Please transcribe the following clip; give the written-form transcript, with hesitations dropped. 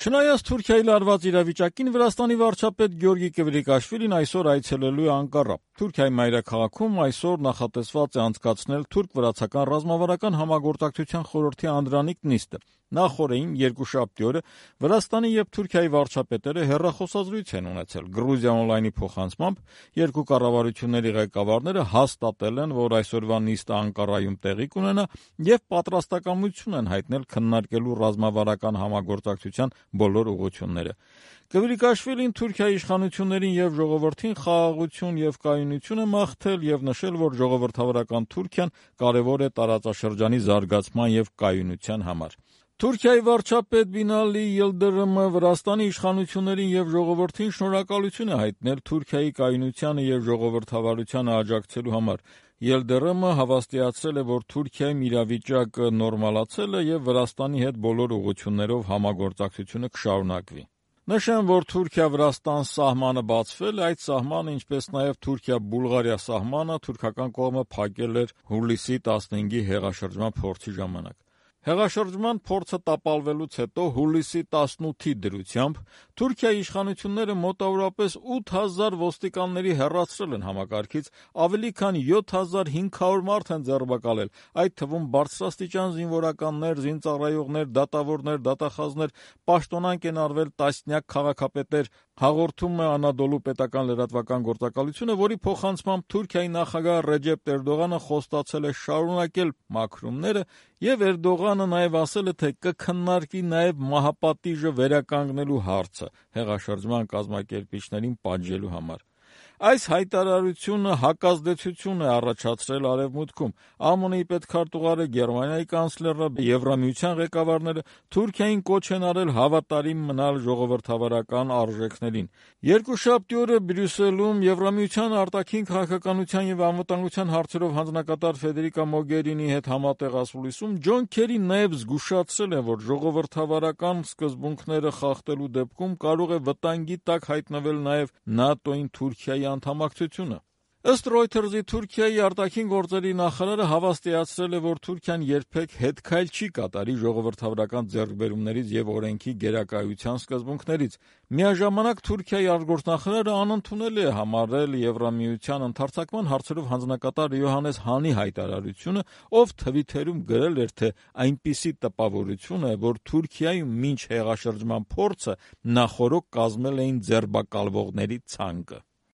Չնայած Թուրքիայի լարված իրավիճակին, Վրաստանի վարչապետ Գյորգի Կվրիկաշվիլին այսօր այցելելու է Անկարա։ Թուրքիայի մայրաքաղաքում այսօր նախատեսված է անցկացնել թուրք-վրացական ռազմավարական համագործակցության խորհրդի անդրանիկ նիստը։ Նախ օրերին երկուշաբթի օրը Վրաստանի եւ Թուրքիայի վարչապետերը հեռախոսազրույց են ունեցել։ Գրուզիա օնլայնի փոխանցմամբ երկու կառավարությունների ղեկավարները հաստատել են, որ այսօրվա նիստը Անկարայում տեղի կունենա եւ պատրաստակամություն են հայտնել քննարկելու ռազմավարական համագործակցության բոլոր ուղղությունները։ Կվրիկաշվիլին Թուրքիայի իշխանություններին եւ ժողովրդին խաղաղություն եւ կայունություն է մաղթել եւ նշել, որ ժողովրդավարական Թուրքիան կարեւոր է տարածաշրջանի զարգացման եւ կայունության համար։ Թուրքիայի վարչապետ Բինալի Յիլդիրիմը Վրաստանի իշխանություններին եւ ժողովրդին շնորհակալություն է հայտնել Թուրքիայի կայունությանը եւ ժողովրդավարությանը աջակցելու համար։ Յիլդիրիմը հավաստիացրել է, որ Թուրքիայում իրավիճակը նորմալացել է եւ Վրաստանի հետ բոլոր ուղղություններով համագործակցությունը կշարունակվի։ Նշեմ, որ Թուրքիա-Վրաստան սահմանը բացվել է, այդ սահմանը, ինչպես նաև Թուրքիա-Բուլղարիա սահմանը թուրքական կողմը փակել էր հուլիսի 15-ի հեղաշրջման փորձի ժամանակ։ Հեղաշրջման փորձը տապալվելուց հետո հուլիսի 18-ի դրությամբ Թուրքիայի իշխանությունները մոտավորապես 8000 ոստիկանների հեռացրել են համակարգից, ավելի քան 7500 մարդ են ձերբակալել, այդ թվում բարձրաստիճան զինվորականներ, զինծառայողներ, դատավորներ, դատախազներ, պաշտոնանկ են արվել տասնյակ քաղաքապետեր, հաղորդում է Անադոլու պետական լրատվական գործակալությունը, որի փոխանցմամբ Թուրքիայի նախագահ Ռեջեփ Էրդողանը խոստացել է շարունակել մաքրումները եւ Էրդողանը նաեւ ասել է, թե կքննարկվի նաեւ մահապատիժը վերականգնելու հարցը հեղաշրջման կազմակերպիչներին պատժելու համար։ Այս հայտարարությունը հակազդեցություն է առաջացրել Արևմուտքում։ ԱՄՆ-ի պետքարտուղարը, Գերմանիայի կանցլերը, Եվրամիության ղեկավարները Թուրքիային կոչ են արել հավատարիմ մնալ ժողովրդավարական արժեքներին։ Երկուշաբթի օրը Բրյուսելում Եվրամիության արտաքին քաղաքականության եւ անվտանգության հարցերով հանձնակատար Ֆեդերիկա Մոգերինիի հետ համատեղ ասուլիսում Ջոն Քերին նաեւ զգուշացրել է, որ ժողովրդավարական սկզբունքները խախտելու դեպքում կարող է վտանգի տակ հայտնվել նաեւ ՆԱՏՕ-ին Թուրքիայի անդամակցությունը։ Ըստ Reuters-ի Թուրքիայի արտաքին գործերի նախարարը հավաստիացրել է, որ Թուրքիան երբեք հետքայլ չի կատարի ժողովրդավարական ձեռքբերումներից եւ օրենքի գերակայության սկզբունքներից։ Միաժամանակ Թուրքիայի արտգործնախարարը անընդունել է համարել Եվրամիության ընդհարձակման հարցերով հանձնակատար Յոհաննես Հանի հայտարարությունը, ով Թվիթերում գրել էր, թե այնպիսի տպավորություն է, որ Թուրքիայում մինչ հեղաշրջման փորձը նախօրոք կազմել էին ձերբակալվողների ցանկը։